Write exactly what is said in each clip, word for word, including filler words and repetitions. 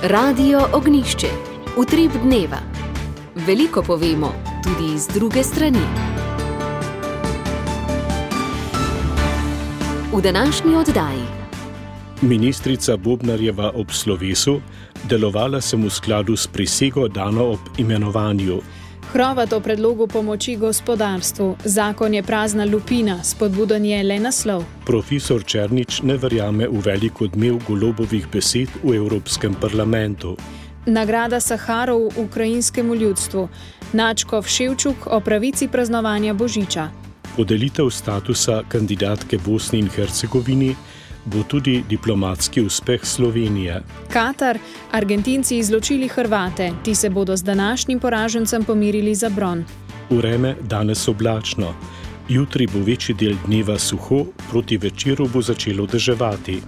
Radio Ognjišče. Utrip dneva. Veliko povemo, tudi iz druge strani. V današnji oddaji. Ministrica Bobnarjeva ob slovesu, delovala sem v skladu s prisego dano ob imenovanju. Hrovat o predlogu pomoči gospodarstvu. Zakon je prazna lupina, spodbuden je le naslov. Profesor Černič ne verjame v velik odmev Golobovih besed v Evropskem parlamentu. Nagrada Saharov ukrajinskemu ljudstvu. Načkov Ševčuk o pravici praznovanja Božiča. Podelitev statusa kandidatke Bosni in Hercegovini bo tudi diplomatski uspeh Slovenije. Katar, Argentinci izločili Hrvate, ti se bodo z današnjim poražencem pomirili za bron. Vreme danes oblačno. Jutri bo večji del dneva suho, proti večeru bo začelo deževati.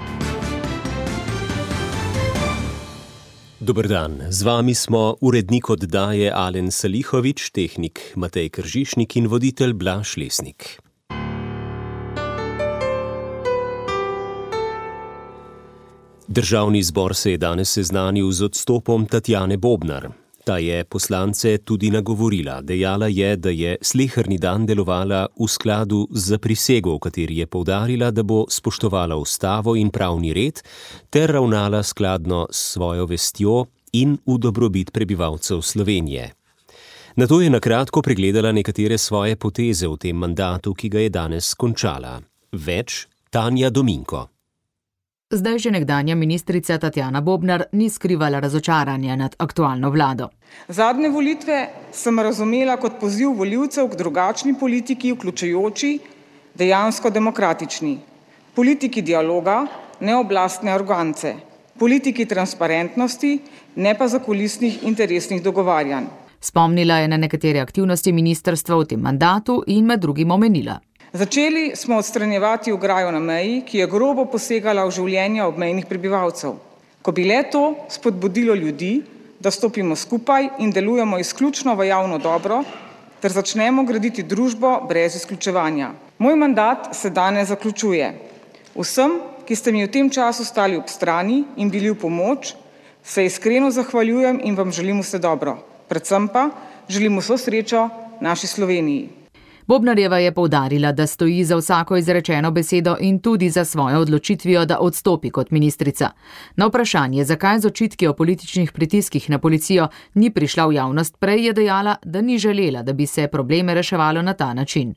Dober dan, z vami smo urednik oddaje Alen Salihovič, tehnik Matej Kržišnik in voditelj Blaž Lesnik. Državni zbor se je danes seznanil z odstopom Tatjane Bobnar. Ta je poslance tudi nagovorila. Dejala je, da je sleherni dan delovala v skladu z prisego, v kateri je poudarila, da bo spoštovala ustavo in pravni red ter ravnala skladno s svojo vestjo in v dobrobit prebivalcev Slovenije. Nato je nakratko pregledala nekatere svoje poteze v tem mandatu, ki ga je danes končala. Več Tanja Dominko. Zdaj že nekdanja ministrica Tatjana Bobnar ni skrivala razočaranja nad aktualno vlado. Zadnje volitve sem razumela kot poziv volivcev k drugačni politiki, vključujoči, dejansko demokratični. Politiki dialoga, ne oblastne arogance. Politiki transparentnosti, ne pa zakulisnih interesnih dogovarjanj. Spomnila je na nekatere aktivnosti ministrstva v tem mandatu in med drugim omenila. Začeli smo odstranjevati ograjo na meji, ki je grobo posegala v življenja obmejnih prebivalcev. Ko bi le to spodbudilo ljudi, da stopimo skupaj in delujemo izključno v javno dobro, ter začnemo graditi družbo brez izključevanja. Moj mandat se danes zaključuje. Vsem, ki ste mi v tem času stali ob strani in bili v pomoč, se iskreno zahvaljujem in vam želim vse dobro. Predvsem pa želim vso srečo naši Sloveniji. Bobnarjeva je poudarila, da stoji za vsako izrečeno besedo in tudi za svojo odločitvijo, da odstopi kot ministrica. Na vprašanje, zakaj z očitki o političnih pritiskih na policijo ni prišla v javnost prej, je dejala, da ni želela, da bi se probleme reševalo na ta način.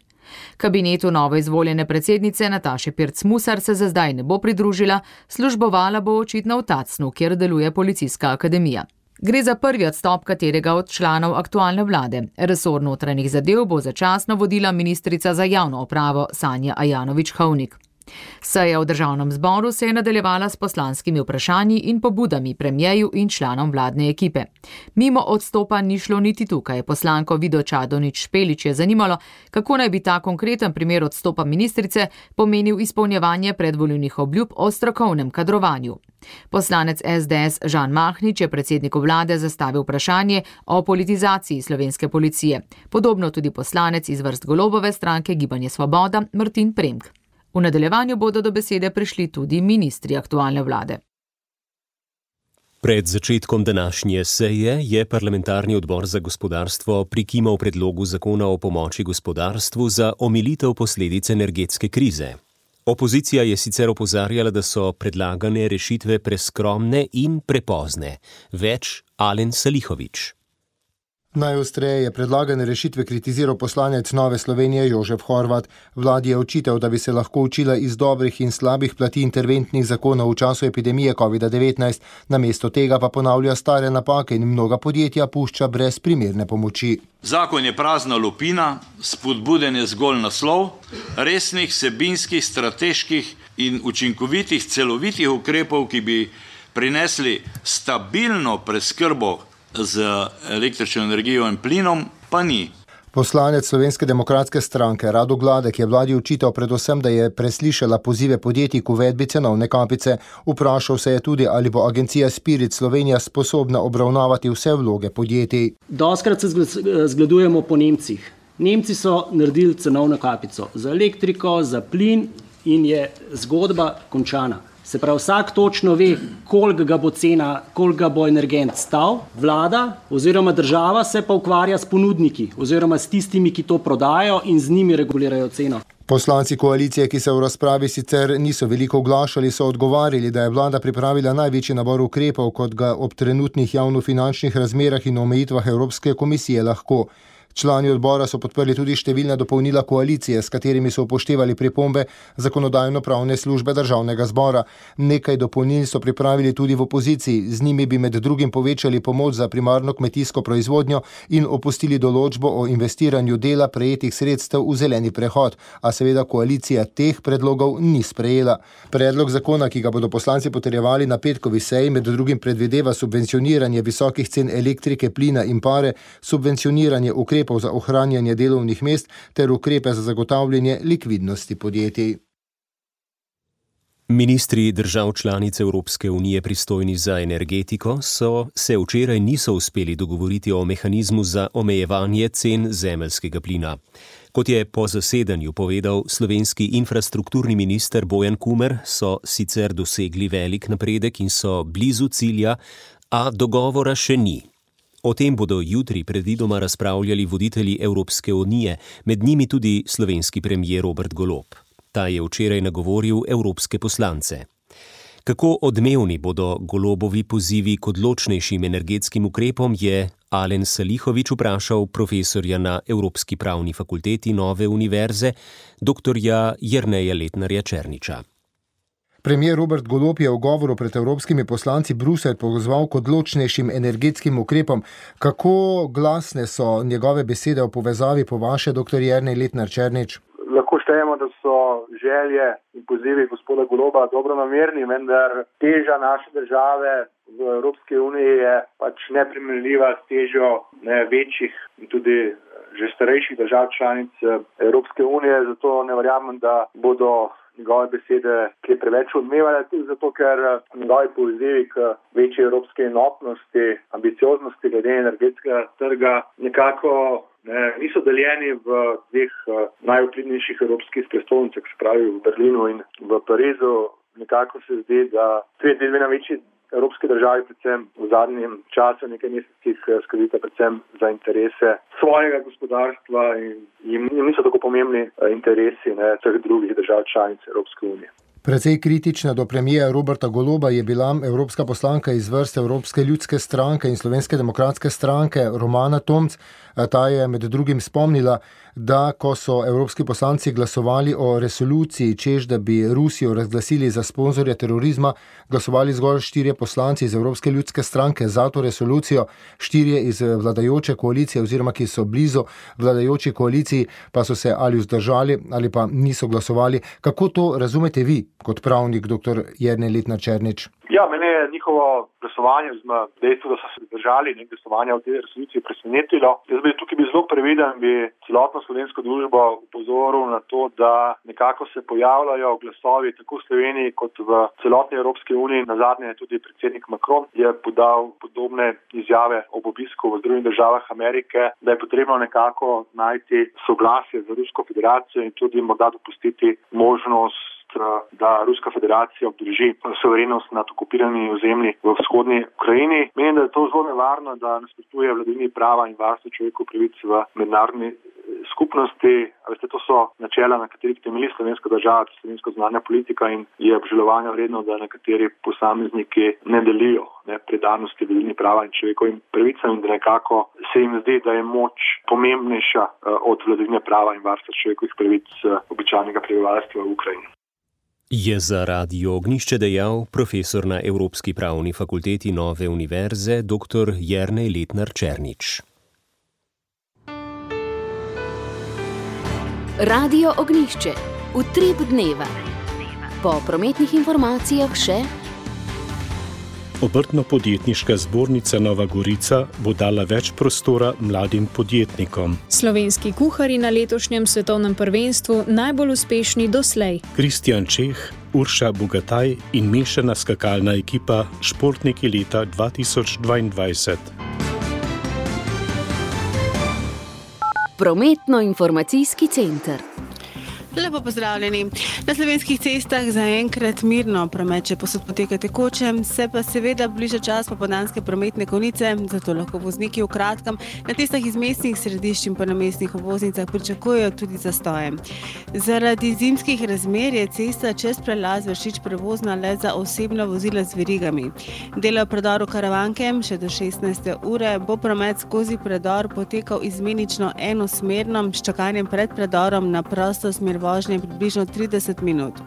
Kabinetu novoizvoljene predsednice Nataše Pirc Musar se za zdaj ne bo pridružila, službovala bo očitno v Tacnu, kjer deluje policijska akademija. Gre za prvi odstop katerega od članov aktualne vlade. Resor notranjih zadev bo začasno vodila ministrica za javno upravo Sanja Ajanović-Hovnik. Seja v državnem zboru se je nadaljevala s poslanskimi vprašanji in pobudami premijeju in članom vladne ekipe. Mimo odstopa ni šlo niti tukaj. Poslanko Vido Čadonič Špelič je zanimalo, kako naj bi ta konkreten primer odstopa ministrice pomenil izpolnjevanje predvolilnih obljub o strokovnem kadrovanju. Poslanec es de es Žan Mahnič je predsedniku vlade zastavil vprašanje o politizaciji slovenske policije. Podobno tudi poslanec iz vrst Golobove stranke Gibanje Svoboda Martin Premk. V nadaljevanju bodo do besede prišli tudi ministri aktualne vlade. Pred začetkom današnje seje je parlamentarni odbor za gospodarstvo prikimal predlogu zakona o pomoči gospodarstvu za omilitev posledic energetske krize. Opozicija je sicer opozarjala, da so predlagane rešitve preskromne in prepozne. Več Alen Salihovič. Najostreje je predlagane rešitve kritiziral poslanec Nove Slovenije Jožef Horvat. Vladi je očital, da bi se lahko učila iz dobrih in slabih plati interventnih zakonov v času epidemije covid devetnajst, namesto tega pa ponavlja stare napake in mnoga podjetja pušča brez primerne pomoči. Zakon je prazna lupina, spodbuden je zgolj naslov, resnih vsebinskih, strateških in učinkovitih celovitih ukrepov, ki bi prinesli stabilno preskrbo z električno energijo in plinom, pa ni. Poslanec Slovenske demokratske stranke Rado Gladek je vladi očital predvsem, da je preslišala pozive podjetij k uvedbi cenovne kapice. Vprašal se je tudi, ali bo agencija Spirit Slovenija sposobna obravnavati vse vloge podjetij. Doskrat se zgledujemo po Nemcih. Nemci so naredili cenovno kapico za elektriko, za plin in je zgodba končana. Se pravi, vsak točno ve, koliko ga bo cena, koliko ga bo energent stal. Vlada oziroma država se pa ukvarja s ponudniki oziroma s tistimi, ki to prodajo in z njimi regulirajo ceno. Poslanci koalicije, ki se v razpravi sicer niso veliko oglašali, so odgovarjali, da je vlada pripravila največji nabor ukrepov, kot ga ob trenutnih javnofinančnih razmerah in omejitvah Evropske komisije lahko. Člani odbora so podprli tudi številna dopolnila koalicije, s katerimi so upoštevali pripombe zakonodajno-pravne službe državnega zbora. Nekaj dopolnil so pripravili tudi v opoziciji, z njimi bi med drugim povečali pomoč za primarno kmetijsko proizvodnjo in opustili določbo o investiranju dela prejetih sredstev v zeleni prehod, a seveda koalicija teh predlogov ni sprejela. Predlog zakona, ki ga bodo poslanci potrjevali na petkovi seji, med drugim predvideva subvencioniranje visokih cen elektrike, plina in pare, subvencioniranje ukrepov za ohranjanje delovnih mest ter ukrepe za zagotavljanje likvidnosti podjetij. Ministri držav članic Evropske unije pristojni za energetiko so se včeraj niso uspeli dogovoriti o mehanizmu za omejevanje cen zemeljskega plina. Kot je po zasedanju povedal slovenski infrastrukturni minister Bojan Kumer, so sicer dosegli velik napredek in so blizu cilja, a dogovora še ni. O tem bodo jutri predvidoma razpravljali voditelji Evropske unije, med njimi tudi slovenski premier Robert Golob. Ta je včeraj nagovoril evropske poslance. Kako odmevni bodo Golobovi pozivi k odločnejšim energetskim ukrepom, je Alen Salihović vprašal profesorja na Evropski pravni fakulteti Nove univerze, doktorja Jerneja Letnarja Černiča. Premier Robert Golob je v govoru pred evropskimi poslanci Bruselj pozval k odločnejšim energetskim ukrepom. Kako glasne so njegove besede v povezavi po vaše, doktor Jernej Letnar Černič? Lahko štejemo, da so želje in pozivi gospoda Goloba dobronamerni, vendar teža naše države v Evropski uniji je pač neprimerljiva s težo ne, večjih in tudi že starejših držav članic Evropske unije, zato ne verjamem, da bodo njegove besede, ki je preveč odmevale, tudi zato, ker njegovi pozivi k večji evropske enotnosti, ambicioznosti glede energetskega trga nekako ne, niso deljeni v dveh najvplivnejših evropskih prestolnicah, se pravi v Berlinu in v Parizu. Nekako se zdi, da tudi dve največji evropske državi, predvsem v zadnjem času, nekaj mesecih, skrbita predvsem za interese svojega gospodarstva in jim niso tako pomembni interesi ne, vseh drugih držav članic Evropske unije. Precej kritična do premijera Roberta Goloba je bila evropska poslanka iz vrst Evropske ljudske stranke in Slovenske demokratske stranke Romana Tomc. Ta je med drugim spomnila, da ko so evropski poslanci glasovali o resoluciji, češ da bi Rusijo razglasili za sponzorja terorizma, glasovali zgolj štirje poslanci iz Evropske ljudske stranke za to resolucijo, štirje iz vladajoče koalicije oziroma ki so blizu vladajoči koaliciji, pa so se ali vzdržali ali pa niso glasovali. Kako to razumete vi kot pravnik, doktor Jernej Letnar Černič? Ja, mene je njihovo glasovanje, oziroma dejstvo, da so se držali nek glasovanja v tej resoluciji presenetilo. Jaz bi tukaj bil zelo previden, bi celotno slovensko družbo upozoril na to, da nekako se pojavljajo glasovi tako v Sloveniji kot v celotni Evropski uniji. Nazadnje je tudi predsednik Macron je podal podobne izjave ob obisku v Združenih državah Amerike, da je potrebno nekako najti soglasje z Rusko federacijo in tudi morda dopustiti možnost, da Ruska federacija obdrži suverenost nad okupiranimi ozemlji v vzhodni Ukrajini. Menim, da je to zelo nevarno, da nasprotuje vladavini prava in varstvu človekovih pravic v mednarodni skupnosti. Veste, to so načela, na katerih temelji slovenska država, slovenska zunanja politika in je obžalovanja vredno, da nekateri posamezniki ne delijo ne, predanosti vladavini prava in človekovim pravicam in da nekako se jim zdi, da je moč pomembnejša od vladavine prava in varstva človekovih pravic običajnega prebivalstva v Ukrajini. Je za Radio Ognjišče dejal profesor na Evropski pravni fakulteti Nove univerze doktor Jernej Letnar Černič. Radio Ognjišče, utrip dneva. Po prometnih informacijah še Obrtno-podjetniška zbornica Nova Gorica bo dala več prostora mladim podjetnikom. Slovenski kuharji na letošnjem svetovnem prvenstvu najbolj uspešni doslej. Kristjan Čeh, Urša Bogataj in mešana skakalna ekipa Športniki leta dva tisoč dvaindvajset. Prometno-informacijski center. Lepo pozdravljeni. Na slovenskih cestah zaenkrat mirno promet še posod poteka tekoče, se pa seveda bliža čas popoldanske prometne konice, zato lahko vozniki v kratkem na cestah iz mestnih središč in pa na mestnih obvoznicah pričakujejo tudi zastoje. Zaradi zimskih razmer je cesta čez prelaz Vršič prevozna le za osebna vozila z verigami. Delo predoru Karavanke še do šestnajste ure bo promet skozi predor potekal izmenično enosmerno s čakanjem pred predorom na prosto smer vožnje približno trideset minut.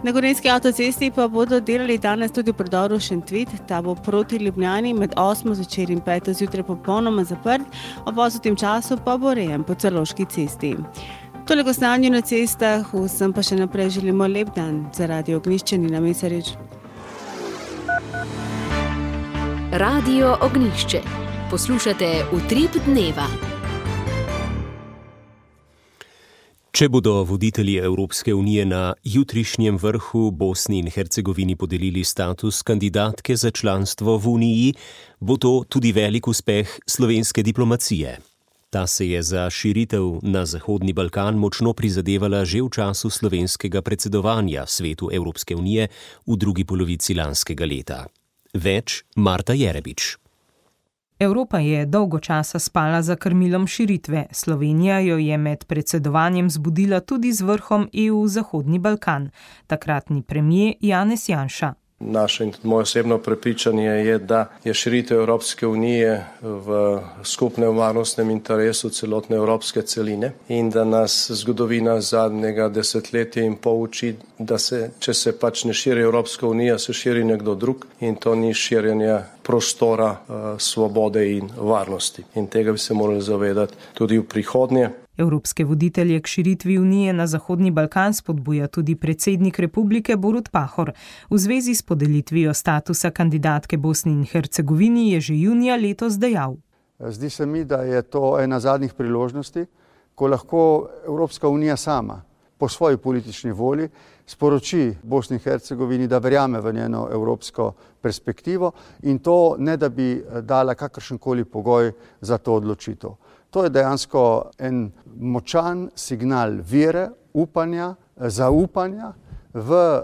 Na Gorenjski avtocesti pa bodo delali danes tudi v predoru Šentvid, ta bo proti Ljubljani med osmo zvečer in peto zjutraj popolnoma zaprt, ob osutim času pa bo rejen po Celovški cesti. Toliko o stanju na cestah, vsem pa še naprej želimo lep dan. Za Radio Ognjišče Nina Mesarič. Radio Ognjišče. Poslušate Utrip dneva. Če bodo voditelji Evropske unije na jutrišnjem vrhu Bosni in Hercegovini podelili status kandidatke za članstvo v Uniji, bo to tudi velik uspeh slovenske diplomacije. Ta se je za širitev na Zahodni Balkan močno prizadevala že v času slovenskega predsedovanja Svetu Evropske unije v drugi polovici lanskega leta. Več Marta Jerebič. Evropa je dolgo časa spala za krmilom širitve. Slovenija jo je med predsedovanjem zbudila tudi z vrhom E U Zahodni Balkan. Takratni premier Janez Janša. Naše in tudi moje osebno prepričanje je, da je širitev Evropske unije v skupnem varnostnem interesu celotne evropske celine in da nas zgodovina zadnjega desetletja in pol uči, da se, če se pač ne širi Evropska unija, se širi nekdo drug in to ni širjenje prostora, uh, svobode in varnosti. In tega bi se morali zavedati tudi v prihodnje. Evropske voditelje k širitvi Unije na Zahodni Balkan spodbuja tudi predsednik republike Borut Pahor. V zvezi s podelitvijo statusa kandidatke Bosni in Hercegovini je že junija letos dejal. Zdi se mi, da je to ena zadnjih priložnosti, ko lahko Evropska unija sama po svoji politični volji sporoči Bosni in Hercegovini, da verjame v njeno evropsko perspektivo in to ne da bi dala kakršenkoli pogoj za to odločitev. To je dejansko en močan signal vere, upanja, zaupanja v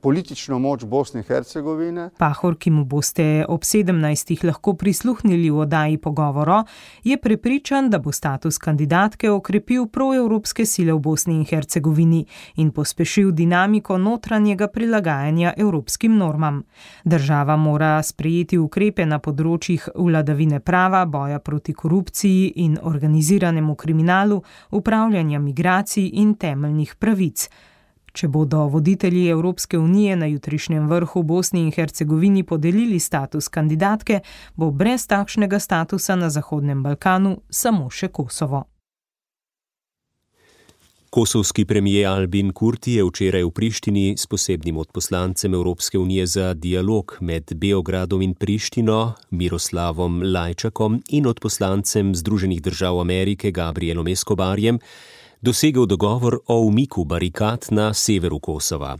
politično moč Bosne in Hercegovine. Pahor, ki mu boste ob sedemnajstih lahko prisluhnili v oddaji Pogovoro, je prepričan, da bo status kandidatke okrepil proevropske sile v Bosni in Hercegovini in pospešil dinamiko notranjega prilagajanja evropskim normam. Država mora sprejeti ukrepe na področjih vladavine prava, boja proti korupciji in organiziranemu kriminalu, upravljanja migracij in temeljnih pravic. Če bodo voditelji Evropske unije na jutrišnjem vrhu Bosni in Hercegovini podelili status kandidatke, bo brez takšnega statusa na Zahodnem Balkanu samo še Kosovo. Kosovski premier Albin Kurti je včeraj v Prištini s posebnim odposlancem Evropske unije za dialog med Beogradom in Prištino, Miroslavom Lajčakom in odposlancem Združenih držav Amerike Gabrielom Escobarjem dosegel dogovor o umiku barikad na severu Kosova.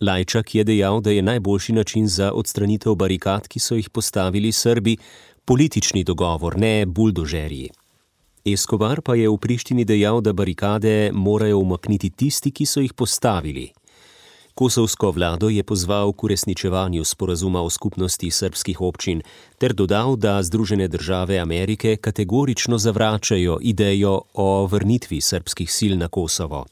Lajčak je dejal, da je najboljši način za odstranitev barikad, ki so jih postavili Srbi, politični dogovor, ne buldožerji. Escobar pa je v Prištini dejal, da barikade morajo umakniti tisti, ki so jih postavili. Kosovsko vlado je pozval k uresničevanju sporazuma o skupnosti srbskih občin ter dodal, da Združene države Amerike kategorično zavračajo idejo o vrnitvi srbskih sil na Kosovo.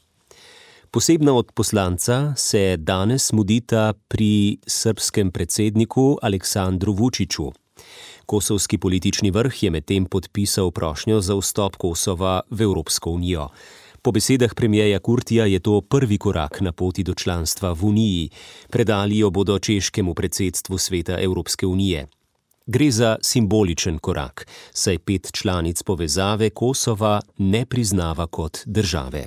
Posebna odposlanca se danes mudita pri srbskem predsedniku Aleksandru Vučiću. Kosovski politični vrh je medtem podpisal prošnjo za vstop Kosova v Evropsko unijo. Po besedah premierja Kurtija je to prvi korak na poti do članstva v Uniji. Predali jo bodo češkemu predsedstvu Sveta Evropske unije. Gre za simboličen korak, saj pet članic povezave Kosova ne priznava kot države.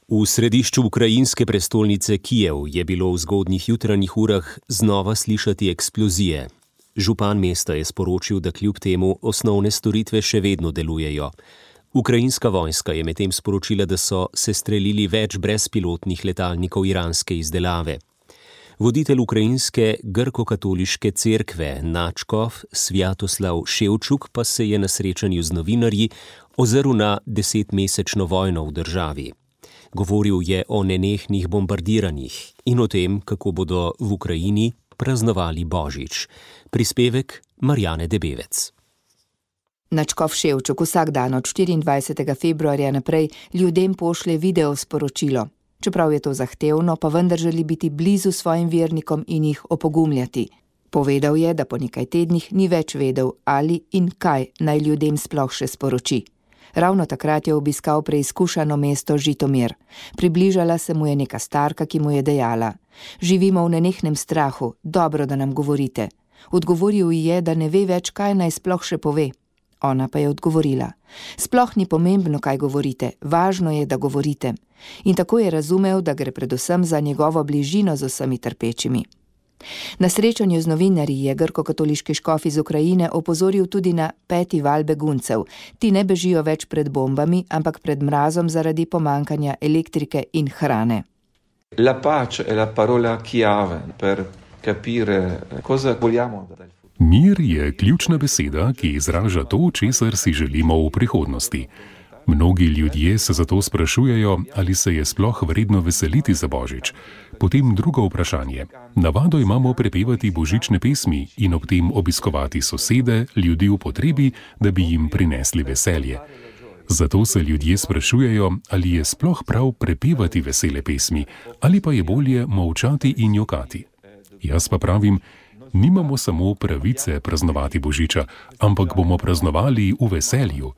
V središču ukrajinske prestolnice Kijev je bilo v zgodnjih jutranjih urah znova slišati eksplozije. Župan mesta je sporočil, da kljub temu osnovne storitve še vedno delujejo. Ukrajinska vojska je medtem sporočila, da so sestrelili več brezpilotnih letalnikov iranske izdelave. Voditelj ukrajinske grko-katoliške cerkve Načkov Svjatoslav Ševčuk pa se je na srečanju z novinarji ozrl na desetmesečno vojno v državi. Govoril je o nenehnih bombardiranjih in o tem, kako bodo v Ukrajini praznovali Božič. Prispevek Marjane Debevec. Načkov Ševčuk vsak dan od štiriindvajsetega februarja naprej ljudem pošlje video sporočilo. Čeprav je to zahtevno, pa vendar želi biti blizu svojim vernikom in jih opogumljati. Povedal je, da po nekaj tednih ni več vedel, ali in kaj naj ljudem sploh še sporoči. Ravno takrat je obiskal preizkušano mesto Žitomir. Približala se mu je neka starka, ki mu je dejala: živimo v nenehnem strahu, dobro, da nam govorite. Odgovoril ji je, da ne ve več, kaj naj sploh še pove. Ona pa je odgovorila: sploh ni pomembno, kaj govorite, važno je, da govorite. In tako je razumel, da gre predvsem za njegovo bližino z vsemi trpečimi. Na srečanju z novinarji je grko-katoliški škof iz Ukrajine opozoril tudi na peti val beguncev. Ti ne bežijo več pred bombami, ampak pred mrazom zaradi pomankanja elektrike in hrane. La pace è la parola chiave per capire cosa vogliamo. Mir je ključna beseda, ki izraža to, česar si želimo v prihodnosti. Mnogi ljudje se zato sprašujejo, ali se je sploh vredno veseliti za Božič. Potem drugo vprašanje. Navado imamo prepevati božične pesmi in ob tem obiskovati sosede, ljudi v potrebi, da bi jim prinesli veselje. Zato se ljudje sprašujejo, ali je sploh prav prepevati vesele pesmi, ali pa je bolje molčati in jokati. Jaz pa pravim, nimamo samo pravice praznovati Božiča, ampak bomo praznovali v veselju.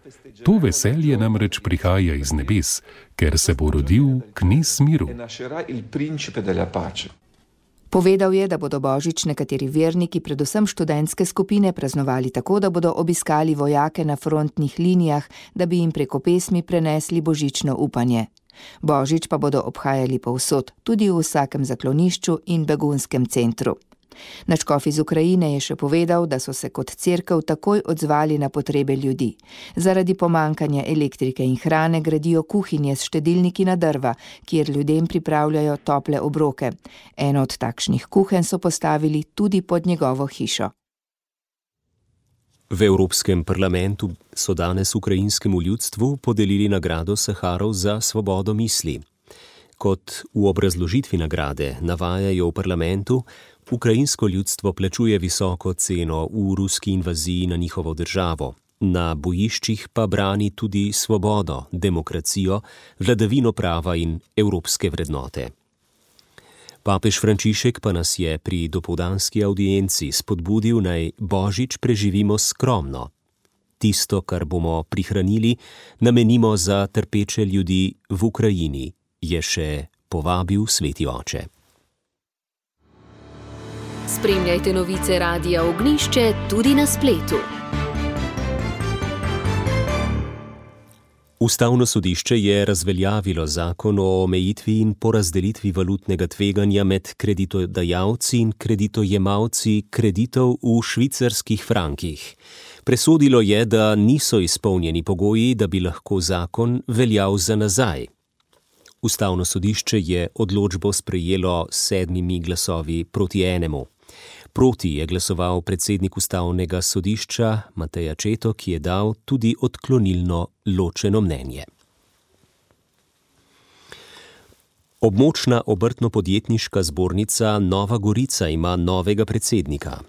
To veselje namreč prihaja iz nebes, ker se bo rodil knez miru. Povedal je, da bodo Božič nekateri verniki, predvsem študentske skupine, praznovali tako, da bodo obiskali vojake na frontnih linijah, da bi jim preko pesmi prenesli božično upanje. Božič pa bodo obhajali povsod, tudi v vsakem zaklonišču in begunskem centru. Načkov iz Ukrajine je še povedal, da so se kot cerkev takoj odzvali na potrebe ljudi. Zaradi pomankanja elektrike in hrane gradijo kuhinje s štedilniki na drva, kjer ljudem pripravljajo tople obroke. Eno od takšnih kuhenj so postavili tudi pod njegovo hišo. V Evropskem parlamentu so danes ukrajinskemu ljudstvu podelili nagrado Saharov za svobodo misli. Kot v obrazložitvi nagrade navajajo v parlamentu, ukrajinsko ljudstvo plačuje visoko ceno v ruski invaziji na njihovo državo. Na bojiščih pa brani tudi svobodo, demokracijo, vladavino prava in evropske vrednote. Papež Frančišek pa nas je pri dopoldanski avdienci spodbudil, naj Božič preživimo skromno. Tisto, kar bomo prihranili, namenimo za trpeče ljudi v Ukrajini, je še povabil sveti oče. Spremljajte novice Radia Ognjišče tudi na spletu. Ustavno sodišče je razveljavilo zakon o omejitvi in porazdelitvi valutnega tveganja med kreditodajalci in kreditojemalci kreditov v švicarskih frankih. Presodilo je, da niso izpolnjeni pogoji, da bi lahko zakon veljal za nazaj. Ustavno sodišče je odločbo sprejelo s sedmimi glasovi proti enemu. Proti je glasoval predsednik Ustavnega sodišča Matej Accetto, ki je dal tudi odklonilno ločeno mnenje. Območna obrtno-podjetniška zbornica Nova Gorica ima novega predsednika.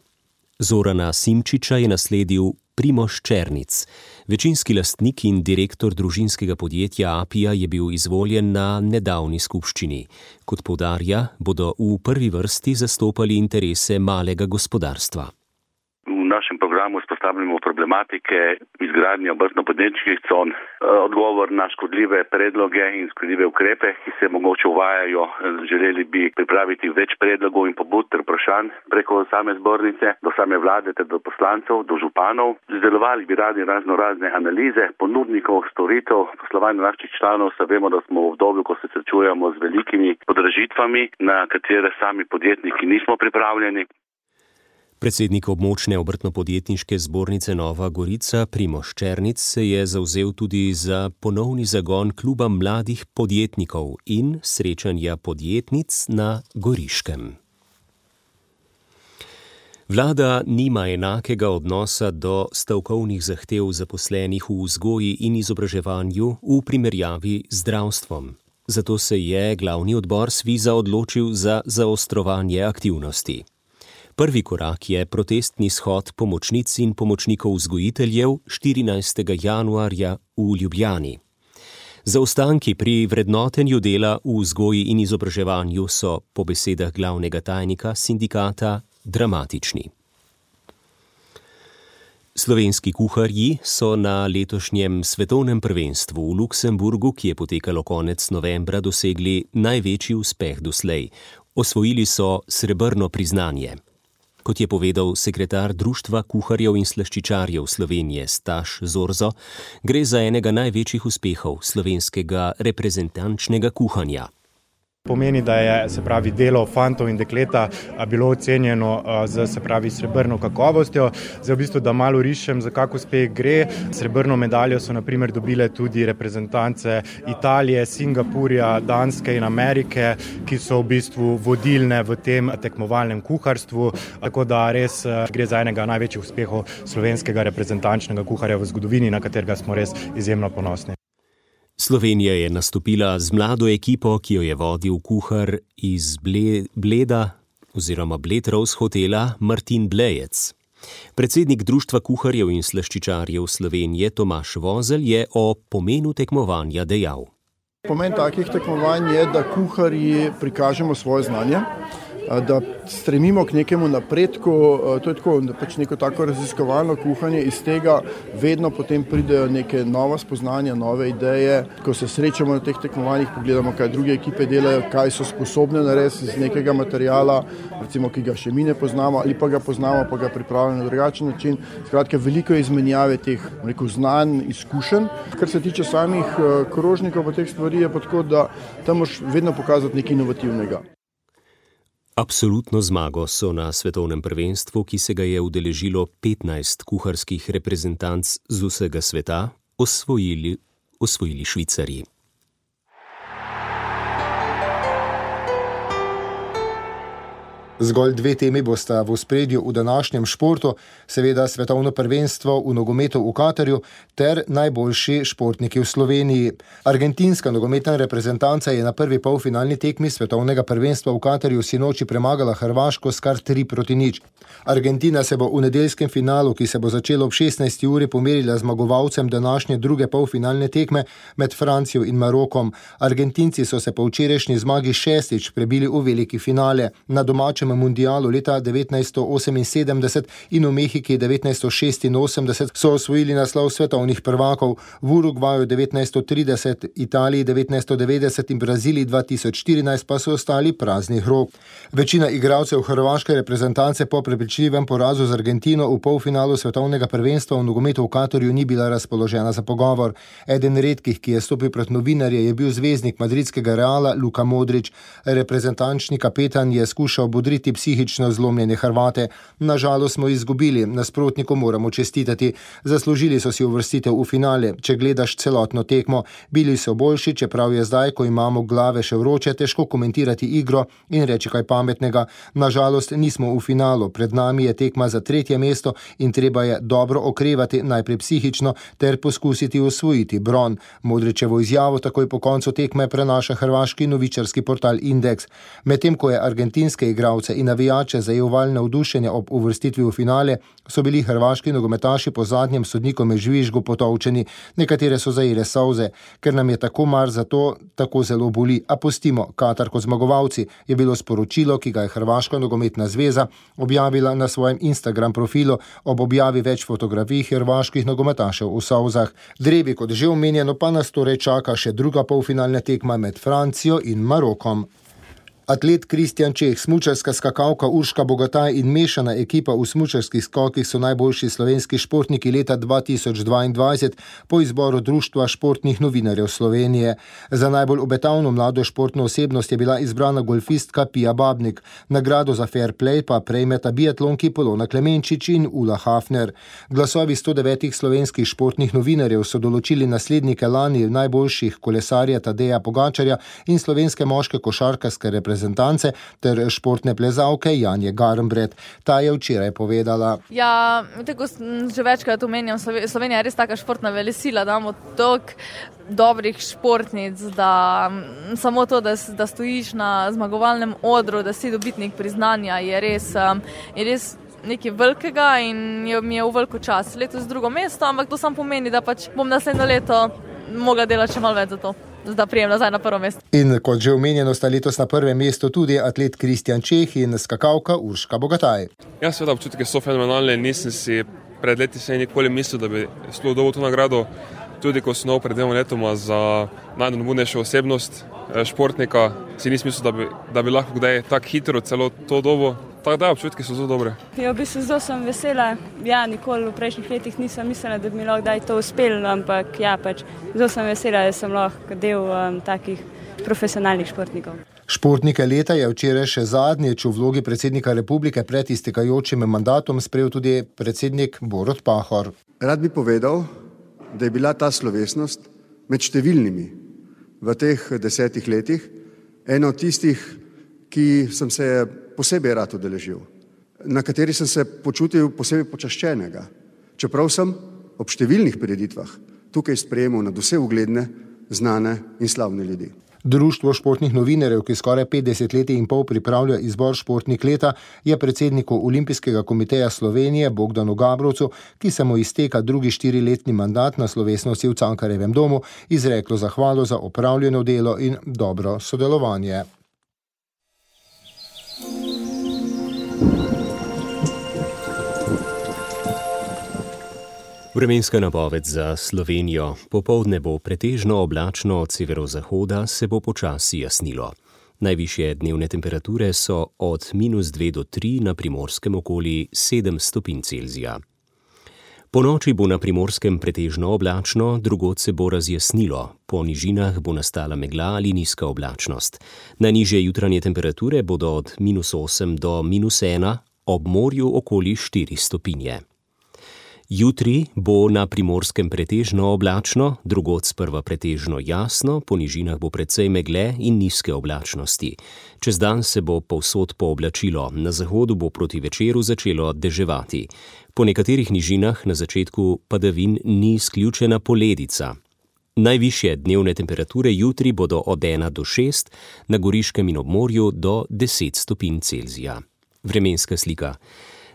Zorana Simčiča je nasledil Primož Černic. Večinski lastnik in direktor družinskega podjetja Apija je bil izvoljen na nedavni skupščini. Kot poudarja, bodo v prvi vrsti zastopali interese malega gospodarstva. V našem programu izpostavljamo problematike izgradnje obrtno-podjetniških con, odgovor na škodljive predloge in škodljive ukrepe, ki se mogoče uvajajo. Želeli bi pripraviti več predlogov in pobud ter vprašanj preko same zbornice, do same vlade ter do poslancev, do županov. Izdelovali bi radi razno razne analize ponudnikov, storitev, poslovanja naših članov. Se vemo, da smo v obdobju, ko se srečujemo z velikimi podražitvami, na katere sami podjetniki nismo pripravljeni. Predsednik območne obrtno-podjetniške zbornice Nova Gorica Primož Černic se je zavzel tudi za ponovni zagon kluba mladih podjetnikov in srečanja podjetnic na Goriškem. Vlada nima enakega odnosa do stavkovnih zahtev zaposlenih v vzgoji in izobraževanju v primerjavi z zdravstvom. Zato se je glavni odbor Sviza odločil za zaostrovanje aktivnosti. Prvi korak je protestni shod pomočnic in pomočnikov vzgojiteljev štirinajstega januarja v Ljubljani. Zaostanki pri vrednotenju dela v vzgoji in izobraževanju so, po besedah glavnega tajnika sindikata, dramatični. Slovenski kuharji so na letošnjem svetovnem prvenstvu v Luksemburgu, ki je potekalo konec novembra, dosegli največji uspeh doslej. Osvojili so srebrno priznanje. Kot je povedal sekretar Društva kuharjev in slaščičarjev Slovenije Staš Zorzo, gre za enega največjih uspehov slovenskega reprezentančnega kuhanja. Pomeni, da je, se pravi, delo fantov in dekleta bilo ocenjeno z, se pravi, srebrno kakovostjo. Zdaj v bistvu, da malo rišem, za kak uspeh gre. Srebrno medaljo so na primer dobile tudi reprezentance Italije, Singapurja, Danske in Amerike, ki so v bistvu vodilne v tem tekmovalnem kuharstvu. Tako da res gre za enega največjih uspehov slovenskega reprezentančnega kuharja v zgodovini, na katerega smo res izjemno ponosni. Slovenija je nastopila z mlado ekipo, ki jo je vodil kuhar iz Bleda oziroma Bled Rose hotela Martin Blejec. Predsednik Društva kuharjev in slaščičarjev Slovenije Tomaž Vozelj je o pomenu tekmovanja dejal. Pomen takih tekmovanj je, da kuharji prikažemo svoje znanje, da stremimo k nekemu napredku, to je tako, pač neko tako raziskovalno kuhanje, iz tega vedno potem pridejo neke nova spoznanja, nove ideje. Ko se srečamo na teh tekmovanjih, pogledamo, kaj druge ekipe delajo, kaj so sposobne narediti iz nekega materiala, recimo, ki ga še mi ne poznamo, ali pa ga poznamo, pa ga pripravljamo na drugačen način. Skratka, veliko je izmenjave teh, rekel, znanj, izkušenj. Kar se tiče samih krožnikov pa teh stvari, je pa tako, da tam moraš vedno pokazati nekaj inovativnega. Absolutno zmago so na svetovnem prvenstvu, ki se ga je udeležilo petnajst kuharskih reprezentanc z vsega sveta, osvojili, osvojili Švicarji. Zgolj dve temi bosta v ospredju v današnjem športu, seveda svetovno prvenstvo v nogometu v Katarju ter najboljši športniki v Sloveniji. Argentinska nogometna reprezentanca je na prvi polfinalni tekmi svetovnega prvenstva v Katarju sinoči premagala Hrvaško s kar tri proti nič. Argentina se bo v nedeljskem finalu, ki se bo začelo ob šestnajsti uri, pomerila zmagovalcem današnje druge polfinalne tekme med Francijo in Marokom. Argentinci so se po včerajšnji zmagi šestič prebili v veliki finale. Na domačem mundialu leta devetnajststo oseminsedemdeset in v Mehiki devetnajststo šestinosemdeset so osvojili naslov svetovnih prvakov, v Urugvaju devetnajststo trideset, Italiji devetnajststo devetdeset in Braziliji dva tisoč štirinajst pa so ostali praznih rok. Večina igralcev hrvaške reprezentance po prepričljivem porazu z Argentino v polfinalu svetovnega prvenstva v nogometu v Katarju ni bila razpoložena za pogovor. Eden redkih, ki je stopil pred novinarje, je bil zvezdnik madridskega Reala Luka Modrić. Reprezentančni kapetan je skušal bodriti psihično zlomljene Hrvate. Nažalost smo izgubili, nasprotniku moramo čestitati. Zaslužili so si uvrstitev v finale. Če gledaš celotno tekmo, bili so boljši, čeprav je zdaj, ko imamo glave še vroče, težko komentirati igro in reči kaj pametnega. Nažalost nismo v finalu. Pred nami je tekma za tretje mesto in treba je dobro okrevati, najprej psihično, ter poskusiti osvojiti bron. Modrićevo izjavo takoj po koncu tekme prenaša hrvaški novičarski portal Indeks. Medtem ko je argentinske igralce in navijače zajel val navdušenja ob uvrstitvi v finale, so bili hrvaški nogometaši po zadnjem sodnikovem žvižgu potolčeni. Nekatere so zajele solze, ker nam je tako mar za to, tako zelo boli. A pustimo, Katar kot zmagovalci, je bilo sporočilo, ki ga je Hrvaška nogometna zveza objavila na svojem Instagram profilu ob objavi več fotografij hrvaških nogometašev v solzah. Drevi, kot že omenjeno, pa nas torej čaka še druga polfinalna tekma med Francijo in Marokom. Atlet Kristjan Čeh, smučarska skakalka Urška Bogataj in mešana ekipa v smučarskih skokih so najboljši slovenski športniki leta dva tisoč dvaindvajset po izboru Društva športnih novinarjev Slovenije. Za najbolj obetavno mlado športno osebnost je bila izbrana golfistka Pia Babnik. Nagrado za fair play pa prejmeta biatlonki Polona Klemenčič in Ula Hafner. Glasovi sto devetih slovenskih športnih novinarjev so določili naslednike lani najboljših kolesarja Tadeja Pogačarja in slovenske moške košarkarske reprezentance reprezentance ter športne plezalke Janje Garnbret. Ta je včeraj povedala. Ja, tako že večkrat omenjam, Slovenija je res taka športna velesila, da imamo toliko dobrih športnic, da samo to, da, da stojiš na zmagovalnem odru, da si dobitnik priznanja, je res, je res nekaj velikega in je, mi je v veliko čas. Letos drugo mesto, ampak to sam pomeni, da pač bom naslednjo leto mogla delati še malo več za to, da prijem nazaj na prvo mesto. In kot že omenjeno, sta letos na prvem mestu tudi atlet Kristjan Čeh in skakalka Urška Bogataj. Ja, seveda občutke so fenomenalne, nisem si pred leti se nikoli mislil, da bi sploh dobil to nagrado. Tudi ko sem nov pred dvema letoma za najnobudnejšo osebnost športnika, si nisem mislil, da bi, da bi lahko kdaj tako hitro celo to dobo. Tako da, občutki so zelo dobre. Ja, v bistvu zelo sem vesela. Ja, nikoli v prejšnjih letih nisem mislila, da bi mi lahko kdaj to uspelo, ampak ja, pač zelo sem vesela, da sem lahko del um, takih profesionalnih športnikov. Športnike leta je včeraj še zadnjič v vlogi predsednika republike pred iztekajočim mandatom sprejel tudi predsednik Borut Pahor. Rad bi povedal, da je bila ta slovesnost med številnimi v teh desetih letih ena od tistih, ki sem se posebej rad udeležil, na kateri sem se počutil posebej počaščenega, čeprav sem ob številnih prireditvah tukaj sprejemal nadvse ugledne, znane in slavne ljudi. Društvo športnih novinarjev, ki skoraj petdeset let in pol pripravlja izbor športnik leta, je predsedniku Olimpijskega komiteja Slovenije Bogdanu Gabrovcu, ki se mu izteka drugi štiriletni mandat na slovesnosti v Cankarjevem domu, izreklo zahvalo za opravljeno delo in dobro sodelovanje. Vremenska napoved za Slovenijo. Popoldne bo pretežno oblačno, od severozahoda se bo počasi jasnilo. Najvišje dnevne temperature so od minus dve do tri, na Primorskem okoli sedem stopinj Celzija. Po noči bo na Primorskem pretežno oblačno, drugod se bo razjasnilo. Po nižinah bo nastala megla ali nizka oblačnost. Najnižje jutranje temperature bodo od minus osem do minus ena, ob morju okoli štiri stopinje. Jutri bo na Primorskem pretežno oblačno, drugod sprva pretežno jasno, po nižinah bo precej megle in nizke oblačnosti. Čez dan se bo povsod pooblačilo, na zahodu bo proti večeru začelo deževati. Po nekaterih nižinah na začetku padavin ni izključena poledica. Najvišje dnevne temperature jutri bodo od ena do šest, na Goriškem in ob morju do deset stopinj Celzija. Vremenska slika.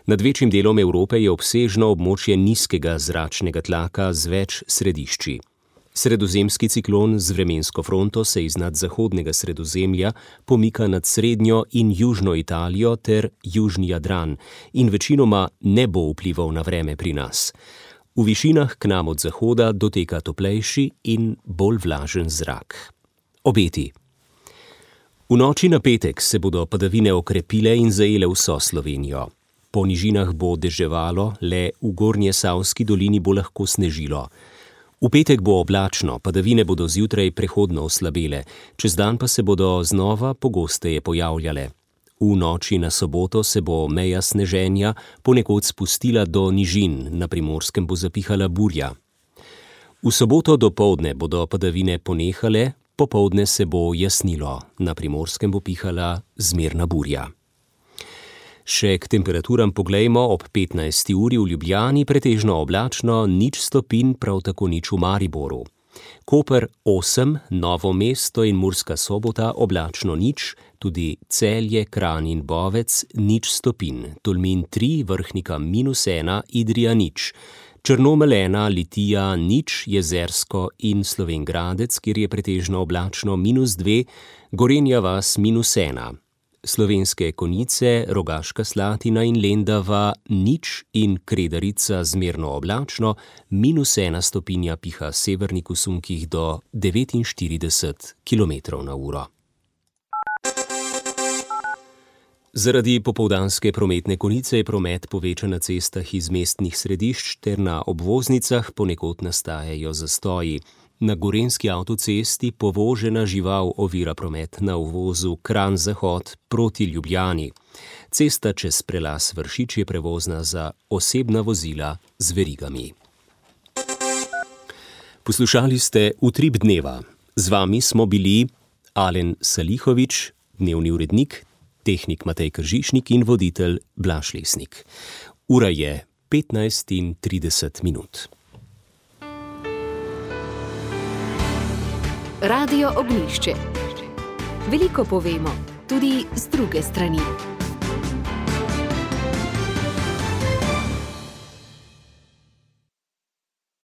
Nad večjim delom Evrope je obsežno območje nizkega zračnega tlaka z več središči. Sredozemski ciklon z vremensko fronto se iznad zahodnega Sredozemlja pomika nad srednjo in južno Italijo ter južni Jadran in večinoma ne bo vplival na vreme pri nas. V višinah k nam od zahoda doteka toplejši in bolj vlažen zrak. Obeti. V noči na petek se bodo padavine okrepile in zajele vso Slovenijo. Po nižinah bo deževalo, le v Gornje Savski dolini bo lahko snežilo. V petek bo oblačno, padavine bodo zjutraj prehodno oslabele, čez dan pa se bodo znova pogosteje pojavljale. V noči na soboto se bo meja sneženja ponekod spustila do nižin, na Primorskem bo zapihala burja. V soboto dopoldne bodo padavine ponehale, popoldne se bo jasnilo, na Primorskem bo pihala zmerna burja. Še k temperaturam poglejmo, ob petnajsti uri v Ljubljani pretežno oblačno, nič stopinj, prav tako nič v Mariboru. Koper osem, Novo mesto in Murska Sobota oblačno nič, tudi Celje, Kranj in Bovec nič stopinj, Tolmin tri, Vrhnika minus ena, Idrija nič. Črnomelj ena, Litija nič, Jezersko in Slovenj Gradec, kjer je pretežno oblačno minus dve, Gorenja vas minus ena. Slovenske Konjice, Rogaška Slatina in Lendava nič in Kredarica zmerno oblačno, minus ena stopinja piha severnik v sunkih do devetinštirideset kilometrov na uro. Zaradi popoldanske prometne konice je promet povečan na cestah iz mestnih središč ter na obvoznicah ponekod nastajajo zastoji. Na gorenjski avtocesti povožena žival ovira promet na uvozu Kranj-Zahod proti Ljubljani. Cesta čez prelaz Vršič je prevozna za osebna vozila z verigami. Poslušali ste Utrip dneva. Z vami smo bili Alen Salihovič, Dnevni urednik, tehnik Matej Kržišnik in voditelj Blaž Lesnik. Ura je petnajst in trideset minut. Radio Ognjišče. Veliko povemo, tudi z druge strani.